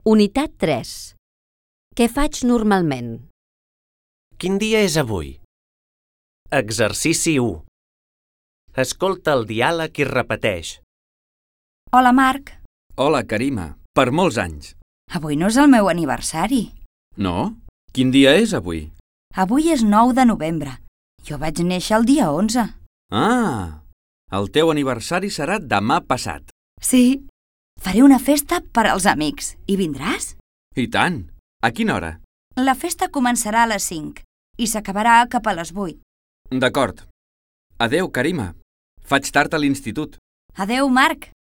Unitat 3. Què faig normalment? Quin dia és avui? Exercici 1. Escolta el diàleg i repeteix. Hola, Marc. Hola, Karima. Per molts anys. Avui no és el meu aniversari. No? Quin dia és avui? Avui és 9 de novembre. Jo vaig néixer el dia 11. Ah! El teu aniversari serà demà passat. Sí. Faré una festa per als amics. Hi vindràs? I tant! A quina hora? La festa començarà a les 5 i s'acabarà cap a les 8. D'acord. Adeu, Karima. Faig tard a l'institut. Adeu, Marc.